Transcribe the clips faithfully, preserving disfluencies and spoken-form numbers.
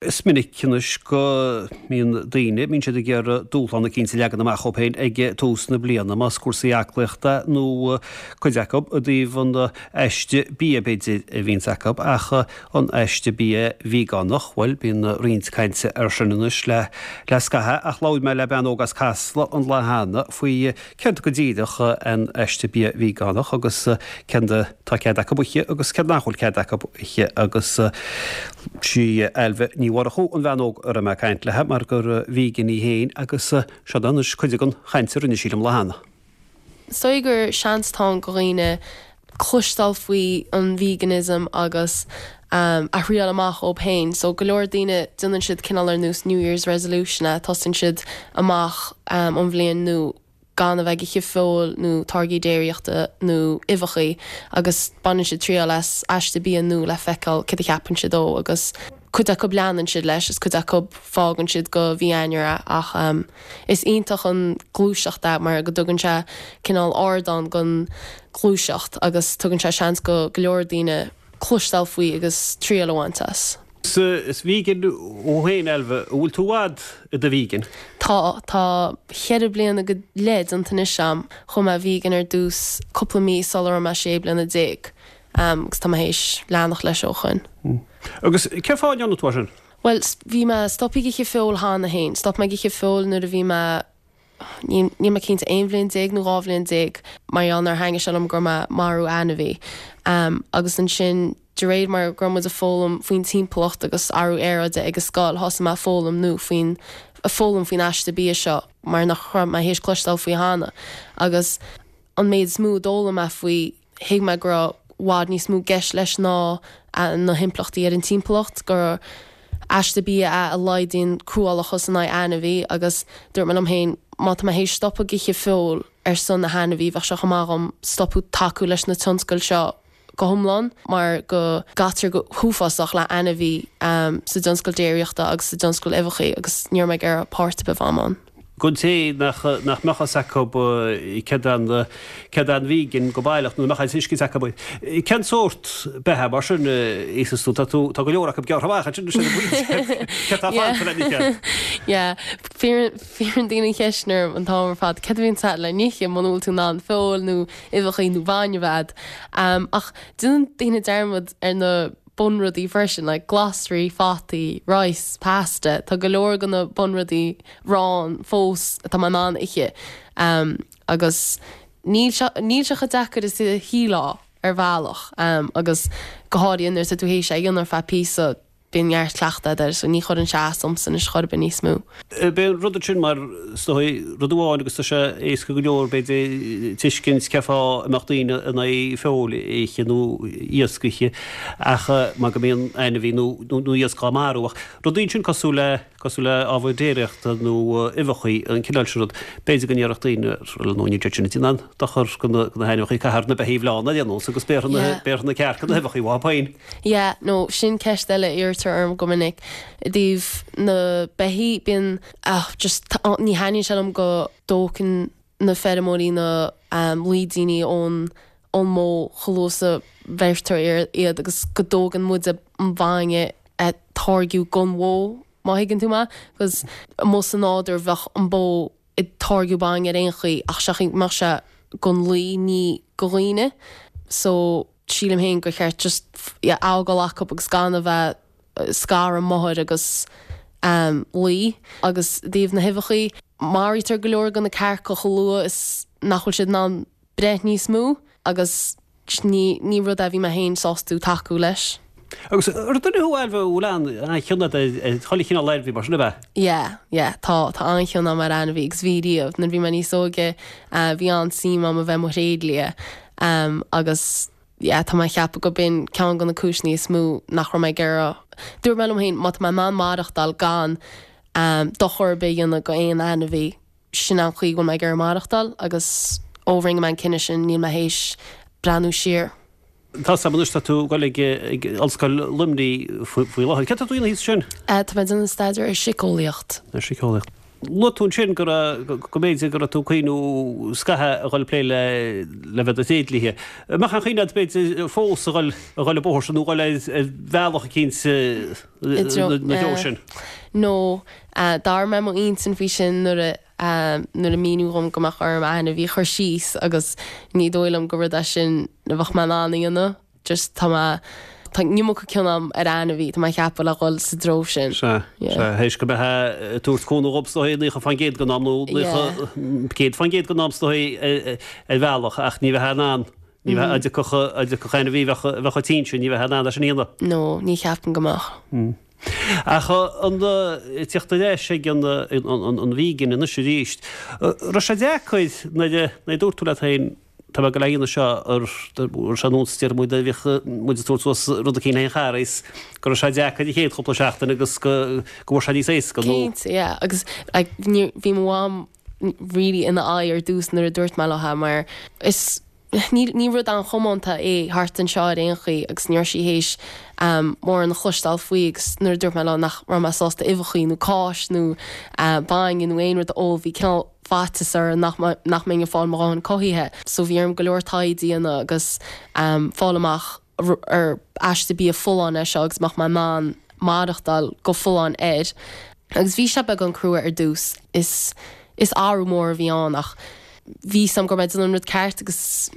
Is minic anois go mbíonn daoine, mbíonn siad ag iarraidh dúshlán eicínt a leagan amach dhóibh féin ag tús na bliana, más cúrsaí aclaíochta nó cuid acu i dtaobh an aiste bia b'fhéidir a bhíonns acu, ach an aiste bia veigeánach, bhuel, bíonn roinnt cainte air sin anois le le scaitheamh, ach labhair mé le bean óg as Casla an lá cheana faoi céard go díreach an aiste bia veigeánach agus céard atá cead acu a ithe agus céard nach bhfuil cead acu a ithe agus sí Ailbhe Ní Mhurchú an bhean óg a raibh mé ag caint léi mar gur vegan í féin agus seo anois cuid den chaint a rinne sí liom lá cheana. Is dóigh gur seans atá ann do dhaoine cloisteáil faoi an veganism agus um, a thriail amach dóibh féin. So go leor daoine déanann siad cineál ar nós New Year's resolution a tosaíonn siad amach um, an bhliain nua gan a bheith ag ithe feoil nó táirgí déiríochta nó uibheacha agus baineann siad triail as aiste bia nua le feiceáil cad a cheapann siad dó agus cuid acu leanann siad leis is cuid acu fágann siad go mí Eanáir é ach um, is iontach an gluaiseacht é mar go dtugann sé cineál ardán don ghluaiseacht agus tugann sé seans go go leor daoine cloisteáil faoi agus triail a bhaint as. Is vegan thú féin Ailbhe, bhfuil tú i bhfad i do vegan? Tá tá ceithre bliana go leith déanta anois agam chuaigh mé vegan ar dtús cúpla mí sula raibh mé sé bliana déag um, agus tá mé théis leanacht leis ó shin. Agus cén fáth a ndearna tú sin? Well bhí mé stoptha ag ithe feoil cheana féin, stop mé ag ithe feoil nuair a bhí mé ní mé cinnte aon bhliain déag nó dhá bhliain déag mar gheall nár thaitnigh sé liom go raibh mé ag marú ainmhí. Um, agus ansin de réir mar go raibh muid ag foghlaim faoin timpeallacht agus athrú aeráide ag an scoil thosaigh mé foghlaim nó faoin foghlaim faoin aiste bia seo mar nach raibh mé théis cloisteáil faoi cheana. Agus an méid is mó a d'fhoghlaim mé faoi thuig mé go raibh i bhfad níos mó i gceist leis ná na himpleachtaí ar an timpeallacht gur aiste bia é a laghdaíonn cruálachas in aghaidh ainmhí agus dúirt mé liom féin má tá mé théis stopadh ag ithe feoil ar son na hainmhí bheadh sé chomh maith agam stopadh tacú leis na tionscail seo go hiomlán mar go gcaitear go huafásach le ainmhí um, sa tionscal déiríochta agus sa tionscal uibheacha agus ní raibh mé ag iarraidh páirt a bheith ann. Don té nach nach mbeadh fhios acu céard an céard an vegan go baileach nó nach tuiscint acu. Cén sórt beatha mar sin is tú tá tú tá go leor acu gearrtha amach sin sin Cé tá le n-ithe? Yeah, Cuireann daoine ceist orm an t-am ar fad céard a bhíonn agat le n-ithe muna bhfuil tú in ann feoil nó uibheacha nó bainne a bheith. Um, ach déanann daoine dearmad ar na bunrudaí freisin, like glasraí, fataí, rice, pasta, Tá go leor de na bunrudaí arán fós atá mé in ann ithe. Um, agus níl sé níl sé chomh deacair is a shílfeá ar bhealach um, agus go háirithe nuair atá tú théis é a dhéanamh ar feadh píosa bíonn neart cleachtadh air, so ní chuireann sé as domsa anois chor ar bith níos mó. B'é an rud sin mar is dóigh rud amháin agus tá sé éasca go leor b'fhéidir tuiscint cén fáth a mbeadh daoine in aghaidh feoil a ithe nó iasc a ithe ach mar go mbíonn ainmhí nó nó iasc á marú ach rudaí sin cosúil le cosúil le ábhar déiríochta nó uibheacha an cineál sin rud b'fhéidir go ndéarfadh daoine nó ní sin an dochar go na hainmhithe caithfear na beithígh fiáine a dhéanamh agus béarfaidh na cearca na huibheacha uathu féin. Yeah, no sin ceist eile iarrtar orm go minic i dtaobh na beithígh bíonn ah, just ní thaitníonn sé liom go dtógann na feirmeoirí na um, lúidíní ón ón mbó chomh luath is a bheirtear iad agus go dtógann muid an bainne a táirgeadh don bhó má thuigeann tú mé, agus amuigh sa nádúr bheadh an bó ag táirgeadh bainne ar aon chaoi ach seachas mbeadh sé don lao ní do dhaoine so sílim féin gur cheart just yeah, fhágáil acu agus gan a bheith scaradh máthair agus um, lao agus i dtaobh na huibheacha maraítear go leor de na cearca chomh luath is nach bhfuil siad in ann breith níos mó agus ní, ní rud é bhí mé féin sásta tacú leis. Agus ar duine thú Ailbhe bhfuil an-chion chuile chineál ainmhí mar sin a bheith? Yeah, yeah, tá tá an-chion agam ar ainmhí agus bhí riamh nuair bhí mé níos óige uh, bhí an-suim agam a bheith i mo thréidlia um, agus yeah, tá mé ag ceapadh go b'in ceann de na cúiseanna is mó nach raibh mé ag iarraidh. Dúirt mé liom féin má tá mé in ann maireachtáil gan um, dochar ar bith a dhéanamh go aon ainmhí sin an chaoi go bhfuil mé ag iarraidh maireachtáil agus ó rinne mé an cinneadh sin níl mé théis breathnú siar. Tá sam anois tá tú ag dul ag ag Ollscoil Luimnigh faoi láthair. Céard atá tú a dhéanamh thíos ansin? Uh, tá mé ag déanamh staidéar ar síceolaíocht. Ar síceolaíocht. Luaigh tú ansin go raibh, go mb'fhéidir go raibh tú ag cuimhniú scaitheamh a dhul ag plé le le bheith i do thréidlia. An mbeadh aon chuimhne agat b'fhéidir fós a dhul a dhul an bóthar sin nó a dhul ar bhealach eicínt na treo sin? No, d'athraigh mé m'intinn faoi sin nuair a nuair a míníodh dhom go mbeadh orm ainmhí a chur síos agus ní dóigh liom gur rud é sin a bheadh mé in ann a dhéanamh. Just tá mé, tá an iomarca cion agam ar ainmhí, tá mé ag ceapadh le dhul sa dtreo sin. Sea, sea, théis go mbeifeá ag tabhairt cúnamh dhób is dóigh naocha faoin gcéad den am nó naocha, céad faoin gcéad den am is dóigh ar bhealach ach ní bheifeá in ann, ní bheifeá, dá dtiocfadh, dá dtiocfadh ainmhí a bheadh, a bheadh tinn sin, ní bheifeá in ann é sin a dhéanamh. No, ní cheapaim go mbeadh. Ach an teacht ar ais ag an an vegan anois arís, raibh sé deacair nuair a, nuair a dúirt tú leat féin, Tá mé ag dul a dhéanamh seo ar ar nós deir muid a bhíodh muid ag tabhairt suas rud eicínt le haghaidh an Charghais, go raibh sé deacair an chéad chúpla seachtain agus go go bhfuair sé níos éasca nó. Cinnte, yeah, agus like ní bhí mo mham really ina aghaidh ar dtús nuair a dúirt mé léi mar is ní ní rud an-chomónta é thart anseo ar aon chaoi agus ní raibh sí théis um mórán a chloisteáil faoi agus nuair a dúirt mé léi nach raibh mé sásta uibheachaí nó cáis nó uh bainne nó aon rud a ól bhí cineál faitíos uirthi nach nach mbeinn ag fáil mo dhóthain cothaithe. So bhí orm go leor taighde a dhéanamh agus fáil amach ar aiste bia folláin é seo agus mbeadh mé in ann maireachtáil go folláin air. Agus bhí sé beagán crua ar dtús. Is is athrú mór a bhí ann ach bhí 'fhios a'm go raibh mé ag déanamh an rud ceart agus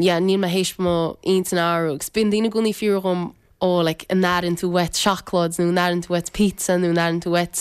yeah níl mé théis mo intinn a athrú agus bíonn daoine i gcónaí ag fiafraí dhom ó like an airíonn tú uait seacláid nó an airíonn tú uait pizza nó an airíonn tú uait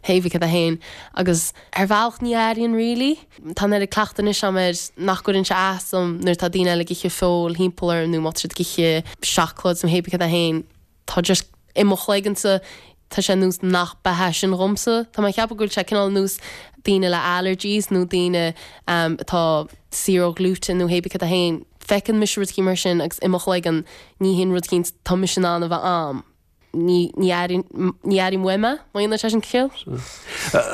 hé bith cad é féin agus ar bhealach ní airíonn really. Tá an oiread cleachtadh anois a'm air nach gcuireann sé as dom nuair atá daoine eile ag ithe feoil thimpeall orm nó má tá siad ag ithe seacláid nó hé bith cad é féin tá just i mo chloigeannsa tá sé nós nach beatha sin dhomsa. Tá mé ag ceapadh go bhfuil sé cineál nós daoine le allergies nó daoine um, atá saor ó ghlúten nó hé bith cad é féin. Feiceann mise rud mar sin agus i mo chloigeann ní hin rud eicínt tá mise in ann a bheith a'm. Ní ní ní airím uaim é, má dhéanann sé sin ciall.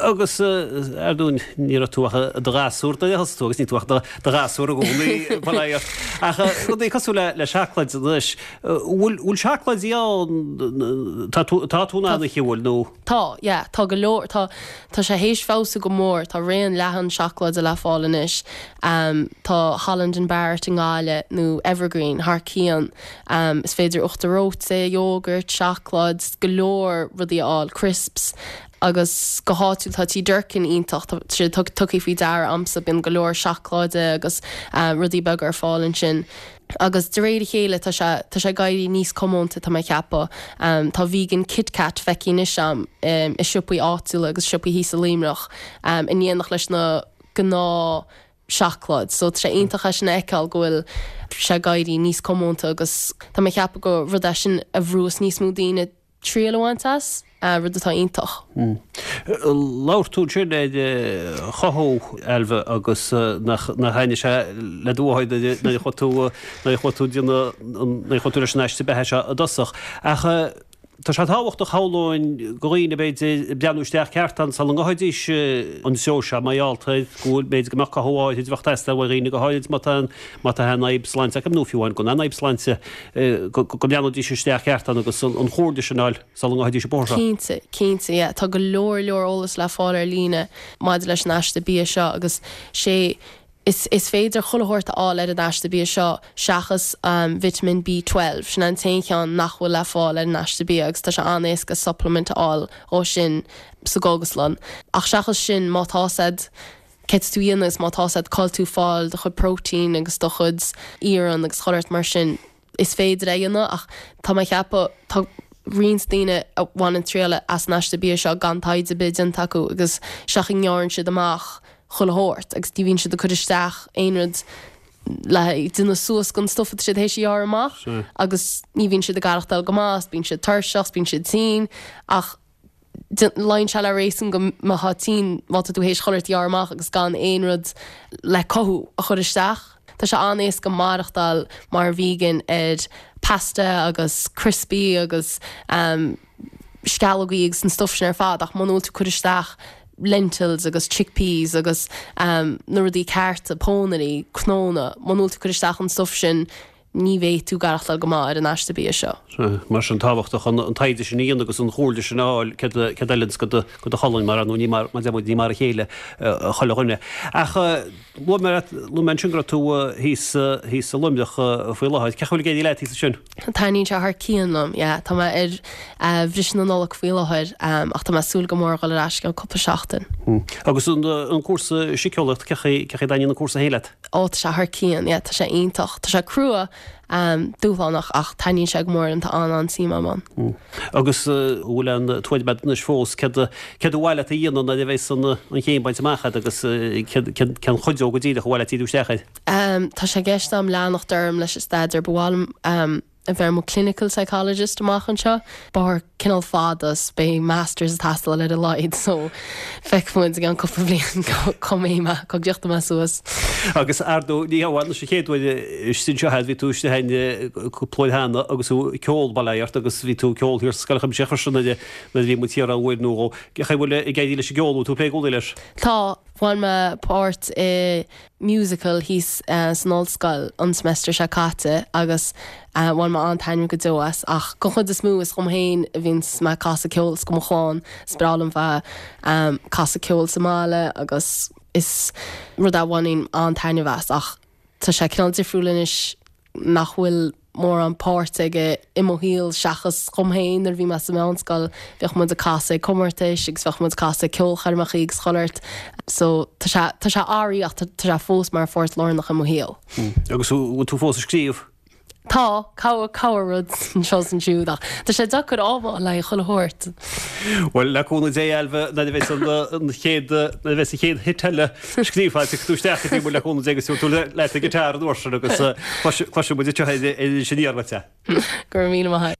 Agus ar ndóigh ní raibh tú ach i do ghasúr nuair a thosaigh tú agus níl tú ach i do ghasúr i gcónaí bail ó Dhia ort. Ach rudaí cosúil le le seacláid anois, bhfuil bhfuil seacláidí ann tá tú tá tú in ann a ithe bhfuil nó? Tá, yeah, tá go leor, tá tá sé théis feabhsú go mór, tá raon leathan seacláide le fáil anois. Um, tá Holland and Barrett i nGaillimh nó Evergreen thar cionn. Um, is féidir uachtar reoite, yogurt, seacláid, go leor rudaí a fháil, crisps, agus go háitiúil tá Tí Durkin iontach, tá sé tugtha faoi deara a'msa, bíonn go leor seacláide agus uh, rudaí beaga ar fáil ansin. Agus de réir a chéile tá sé tá sé ag éirí níos comónta tá mé ag ceapadh. Um, tá vegan Kit Kat feicthe anois a'm um, i siopaí áitiúla agus siopaí thíos i Luimneach um, in éineacht leis na gnáth seacláid. So tá sé iontach é sin a fheiceáil go bhfuil sé ag éirí níos comónta agus tá mé ag ceapadh go rud é sin a bhrús níos mó daoine triail a bhaint as, uh, rud atá iontach. Mm. Labhair tú ansin ar chothú Ailbhe agus nach nach thaitnigh sé le do mháthair nuair a chuaigh tú nuair a chuaigh tú déanamh nuair a chuaigh tú leis an aiste beatha seo i dtosach. Ach tá sé tábhachtach shamhlóinn do dhaoine b'fhéidir breathnú isteach ceart ann sula ngabhfaidís an treo seo mar gheall go bhfuil b'fhéidir go mbeadh cothú áirid a bheadh ag teastáil ó dhaoine go háirid má tá má tá aon fhadhb sláinte acu nó fiú amháin gan aon fhadhb sláinte go go mbreathnóidís isteach ceart ann agus an chomhairle sin a fháil sula ngabhfaidís an bóthar seo. Cinnte, cinnte, yeah. Tá go leor leor eolas le fáil ar líne maidir leis an aiste bia seo agus sé is, is féidir chuile shórt a fháil ar an aiste bia seo seachas um, vitamin B twelve. Sin an t-aon cheann nach bhfuil le fáil ar an aiste bia agus tá sé an-éasca supplement a fháil ó sin sa gcógaslann. Ach seachas sin má tá siad céard tú a dhéanamh agus má tá siad cáil tú fáil do chuid protein agus do chuid iarann agus chuile shórt mar sin is féidir é a dhéanamh ach tá mé ag ceapadh tá roinnt daoine a bhaineann triail as an aiste bia seo gan taighde ar bith déanta acu agus seach a ngearrann siad amach chuile shórt agus ní bhíonn siad ag cur isteach aon rud le déanamh suas don stuff atá siad théis a ghearradh amach agus ní bhíonn siad ag aireachtáil go maith, bíonn siad tuirseach, bíonn siad tinn ach luíonn sé le réasún go mbeifeá tinn má tá tú théis chuile shórt a ghearradh amach agus gan aon rud le cothú a chur isteach. Tá sé an-éasca maireachtáil mar vegan ar pasta agus crispy agus um, sceallógaí agus an stuff sin ar fad ach muna bhfuil tú ag cur isteach lentils agus chickpeas agus um, na rudaí cearta, pónairí, cnónna, muna bhfuil tú ag cur isteach an stuff sin ní bheidh tú ag aireachtáil go maith ar an aiste bia seo. Mar sin tábhachtach an taighde sin a dhéanamh agus an chomhairle sin a fháil céard a fheileanns do do cholainn mar nó ní mar ní mar a chéile chuile dhuine. Ach luaigh mé luaigh mé ansin go raibh tú thíos thíos i Luimneach faoi láthair. Cén chaoi a bhfuil ag éirí leat thíos ansin? Taitníonn sé thar cionn liom, yeah. Tá mé ar bhriseadh na Nollag faoi láthair ach tá mé ag súil go mór a dhul ar ais i gceann cúpla seachtain. Agus an cúrsa síceolaíochta, cén chaoi cén chaoi a dtaitníonn an cúrsa féin leat? Ó tá sé thar cionn, yeah, tá sé iontach. Tá sé crua, dúshlánach ach taitníonn sé go mór liom, tá an-an-suim agam ann. Agus an bhfuil an tuairim agat anois fós céard céard ba mhaith leat a dhéanamh nuair a bheas an an chéim bainte amach agat agus céard cén chuid go díreach ba mhaith leat díriú isteach air? Tá sé i gceist agam leanacht orm leis an staidéar, ba mhaith liom a bheith i mo clinical psychologist amach anseo. Bóthar cineál fada is beidh masters ag teastáil ar a laghad so feicfidh muid i gceann cúpla bliain cá mbeidh mé, cá dtiocfaidh mé suas. Agus ar ndóigh ní hamháin leis an chéad uair istigh anseo agat, bhí tú istigh againn cúpla uair cheana agus tú ag ceol, bail ó Dhia ort, agus bhí tú ag ceol thiar sa Scoil Chuimsitheach freisin nuair a bhí muid thiar uair nó dhó. Cén chaoi a bhfuil ag éirí leis an gceol, bhfuil tú ag plé i gcónaí leis? Tá, bhain mé páirt i musical thíos san ollscoil an semester seo caite agus bhain mé an-taitneamh go deo as ach den chuid is mó is dom féin a bhíonns mé ag casadh ceoil is do mo chlann. Is breá liom bheith ag casadh ceoil sa mbaile agus is rud é a bhainim an-taitneamh as ach tá sé cineál difriúil anois nach bhfuil mórán páirt aige i mo shaol seachas dhom féin nuair a bhí mé sa mheánscoil bheadh muid ag casadh ag comórtais agus bheadh muid ag casadh ag ceolchoirmeacha agus chuile shórt so tá sé tá sé athraithe ach tá sé fós mar pháirt lárnach i mo shaol. Agus bhfuil tú fós ag scríobh? Tá, corr rud anseo is ansiúd ach tá sé deacair am a fháil le chuile shórt. Bhuel, le cúnamh Dé, Ailbhe, nuair a bheas an chéad, nuair a bheas an chéad hit eile scríofa agat, tiocfaidh tú isteach go dtí muid le cúnamh Dé agus tabharfaidh tú leat an guitar an uair sin agus cloisfidh muid anseo ar Iris Aniar uait é. Go raibh míle maith agat.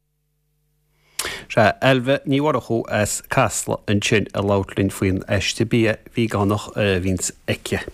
Sea, Ailbhe Ní Mhurchú as Casla ansin ag labhairt linn faoin aiste bia veigeánach a bhíonns aici.